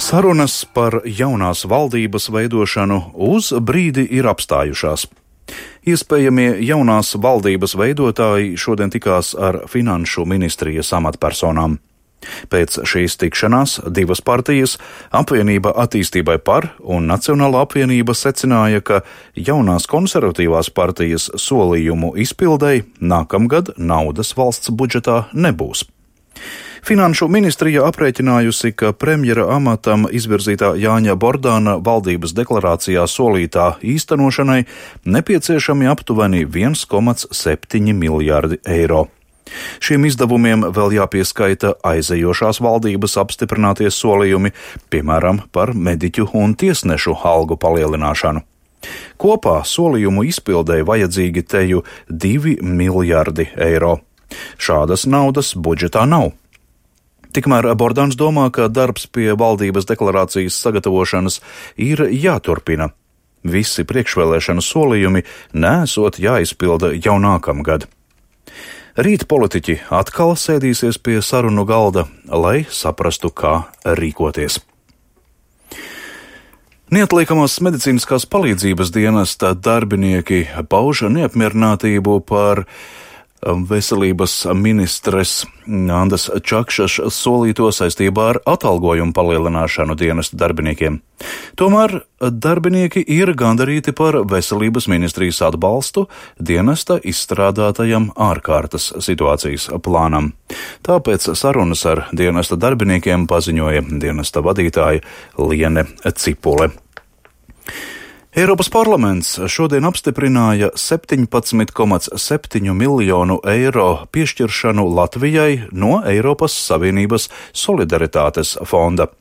Sarunas par jaunās valdības veidošanu uz brīdi ir apstājušās. Iespējamie jaunās valdības veidotāji šodien tikās ar Finanšu ministrijas amatpersonām. Pēc šīs tikšanās divas partijas, Apvienība attīstībai par un Nacionālā apvienība, secināja, ka jaunās konservatīvās partijas solījumu izpildei nākamgad naudas valsts budžetā nebūs. Finanšu ministrija aprēķinājusi, ka premjera amatam izvirzītā Jāņa Bordāna valdības deklarācijā solītā īstenošanai nepieciešami aptuveni 1,7 miljārdi eiro. Šiem izdevumiem vēl jāpieskaita aizejošās valdības apstiprinātie solījumi, piemēram, par mediķu un tiesnešu algu palielināšanu. Kopā solījumu izpildēji vajadzīgi teju 2 miljārdi eiro. Šādas naudas budžetā nav. Tikmēr Bordāns domā, ka darbs pie valdības deklarācijas sagatavošanas ir jāturpina. Visi priekšvēlēšanu solījumi nesot jāizpilda jau nākamgad. Rīt politiķi atkal sēdīsies pie sarunu galda, lai saprastu, kā rīkoties. Neatliekamās medicīniskās palīdzības dienesta darbinieki pauž neapmierinātību par veselības ministres Andas Čakšas solīto saistībā ar atalgojumu palielināšanu dienesta darbiniekiem. Tomēr darbinieki ir gandarīti par veselības ministrijas atbalstu dienesta izstrādātajam ārkārtas situācijas plānam. Tāpēc sarunas ar dienesta darbiniekiem paziņoja dienesta vadītāja Liene Cipule. Eiropas parlaments šodien apstiprināja 17,7 miljonu eiro piešķiršanu Latvijai no Eiropas Savienības solidaritātes fonda.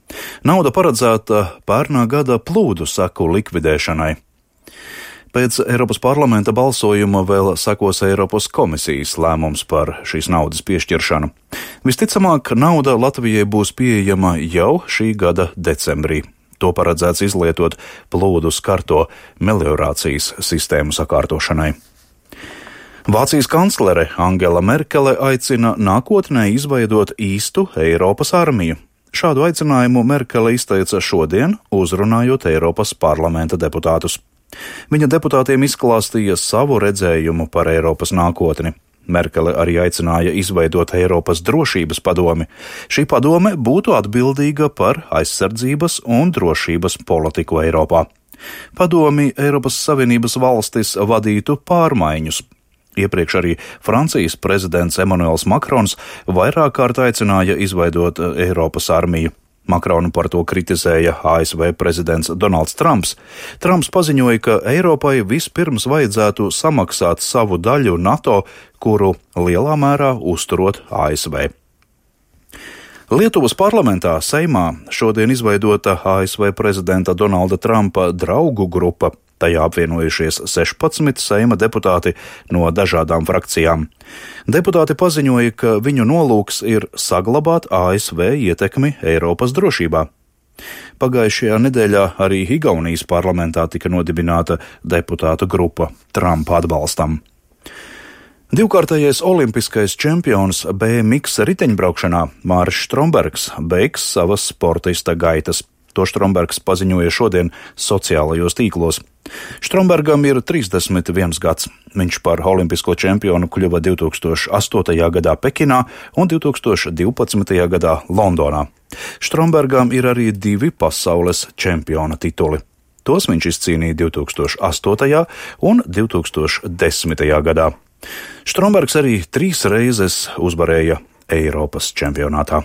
Nauda paredzēta pērnā gada plūdu seku likvidēšanai. Pēc Eiropas parlamenta balsojuma vēl sekos Eiropas komisijas lēmums par šīs naudas piešķiršanu. Visticamāk, nauda Latvijai būs pieejama jau šī gada decembrī. To paredzēts izlietot plūdu skarto meliorācijas sistēmu sakārtošanai. Vācijas kanclere Angela Merkele aicina nākotnē izveidot īstu Eiropas armiju. Šādu aicinājumu Merkele izteica šodien, uzrunājot Eiropas parlamenta deputātus. Viņa deputātiem izklāstīja savu redzējumu par Eiropas nākotni. Merkele arī aicināja izveidot Eiropas drošības padomi. Šī padome būtu atbildīga par aizsardzības un drošības politiku Eiropā. Padomi Eiropas Savienības valstis vadītu pārmaiņus. Iepriekš arī Francijas prezidents Emmanuels Makrons vairāk kārt aicināja izveidot Eiropas armiju. Makronu par to kritizēja ASV prezidents Donalds Trumps. Trumps paziņoja, ka Eiropai vispirms vajadzētu samaksāt savu daļu NATO, kuru lielā mērā uzturot ASV. Lietuvas parlamentā Seimā šodien izveidota ASV prezidenta Donalda Trumpa draugu grupa. Tajā apvienojušies 16 Seima deputāti no dažādām frakcijām. Deputāti paziņoja, ka viņu nolūks ir saglabāt ASV ietekmi Eiropas drošībā. Pagājušajā nedēļā arī Igaunijas parlamentā tika nodibināta deputātu grupa Trumpa atbalstam. Divkārtējais olimpiskais čempions BMX riteņbraukšanā Māris Strombergs beigs savas sportista gaitas. To Strombergs paziņoja šodien sociālajos tīklos. Strombergam ir 31 gads. Viņš par olimpisko čempionu kļuva 2008. gadā Pekinā un 2012. gadā Londonā. Strombergam ir arī 2 pasaules čempiona tituli. Tos viņš izcīnīja 2008. un 2010. gadā. Strombergs arī 3 reizes uzvarēja Eiropas čempionātā.